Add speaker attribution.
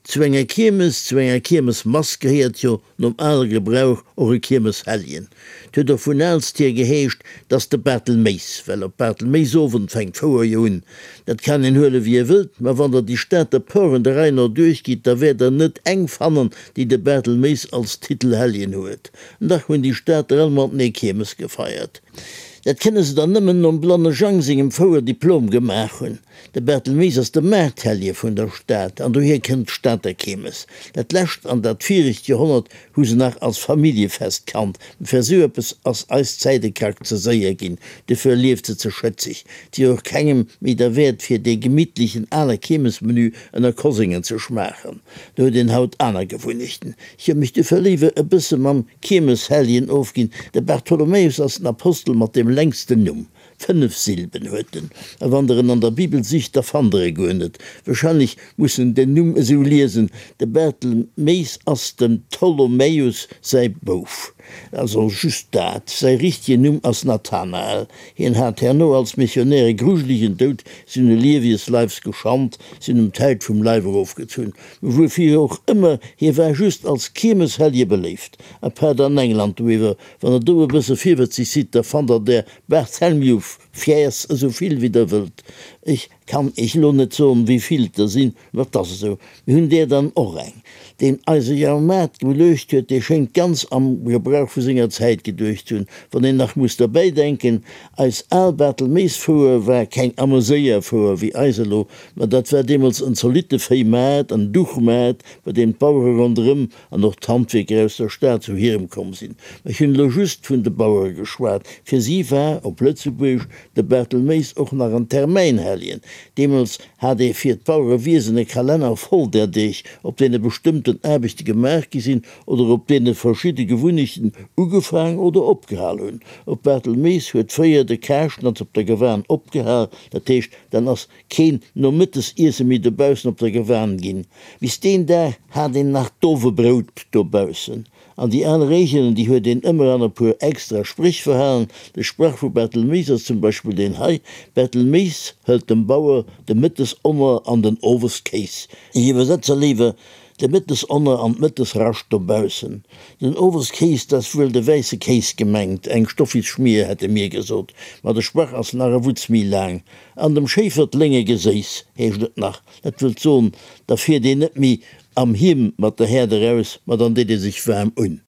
Speaker 1: Zu enger Kiermes, zu enger Kiermesmass gehéiert jo nom ale Gebrauch och e Kiermeshelljen. 't huet och vun aalst hier geheescht, 't ass de Bartelméis, well op Bartelméisowend fänkt d'Fouer jo un. Dat kann een huele wéi ee wëllt, ma wann der déi Stater Poren der Rei no duerchgitt, da wäert der net eng fannen, déi de Bartelméis als Titelhelljen huet. Dach hunn déi Stater all matenee Kiermes gefeiert. Dat kënne se dann nëmmen nom Blanne Jang sengem Fouer Diplom gemaach hunn. De Barthelmeis ass de Maarthellje vun der Stad an dohier kënnt d'Stater Keemes. Dat lescht an dat viregt Joerhonnert hu se nach als Familljefest kannt, mä fir esou eppes ass eis Zäit e Krack ze séier ginn, dofir lieft se ze schëtzeg. 't wier och kengem méi derwäert fir dee gemittlechen ale Keemesmenü ënner Koséngen ze schmaachen. Do huet een haut aner Gewunnechten. Ech hu mech dofir léiwer e bësse mam Keemeshelljen ofginn. De Bartholomäus ass den Apostel mat deem längsten Numm. 5 Silben huet en, a wann der en an der Bibel sicht, da fannt der e guer net. Wahrscheinlech muss en den Numm esou liesen, De Bartelméis ass dem Ptolomäus säi Bouf. Also just dat, säi richtegen Numm ass Nathanael. Hien hat herno als Missionär e grujelegen Doud, si hunn e Liewies Leifs geschand, si hunn em d'Häut vum Leif erofgezunn. Wuerfir och ëmmer, hie war just als Kiermeshellje beléift. Apaart an England doiwwer, wann der do e bësse virwëtzeg sidd, da fannt der där Barthélemy Fiers, esou vill wéi der wëllt. Ech kann Iech elo net soen, wéi vill et der sinn, mä et ass esou. Mir hunn där dann och eng. Deen eise Jahrmaart geluecht huet, dee schéngt ganz am Gebrauch vu senger Zäit geduecht ze hunn. Wann een nach muss derbäi denken, eis al Barthelméisfouer war keng Ameséierfouer wéi eis elo, mä dat war deemools en zolitte Véimaart, en Duchmaart, bei deem d'Bauere ronderëm an och d'Handwierker aus der Stad zu hirem komm sinn. Mä ech hunn elo just vun de Bauere geschwat. Fir si war, op Lëtzebuergesch, de Bartelméis och nach en Termäinhelljen. Deemools hat ee fir d'Bauerewiesen e Kalenner voll där Deeg, op deene bestëmmten Aarbechte gemaach gi sinn oder op deene verschidde Gewunnechten ugefaang oder opgehal hunn. Op Bartelméis huet fréier de Karschnatz op der Gewan opgehal, dat heescht, dann ass Keen Nomëttesiesse méi dobaussen op der Gewan ginn. Bis deen Dag hat een nach d'Owebrout dobaussen. An déi al Reegelen, déi huet een ëmmer an e puer extra Spréch verhalen. De Sprach vu Barthelméis ass zum Beispill deen hei, Barthelméis hëlt dem Bauer de Mëttesonner an den Oweskéis. Ech iwwersetze léiwer, De Mëttesonner an d'Mëttesrascht dobaussen. Den Oweskéis, 't ass wuel de wäisse Kéis gemengt, eng Stoffisschmier hätte mir gesot, ma de Sprach ass nach e Wutz méi laang. An dem Schéifer d'Lénge Geséiss, heescht et nach. Dat wëllt soen, da fiert een net méi am Hiem mat der Häerd eraus, ma dann deet ee sech waarm un.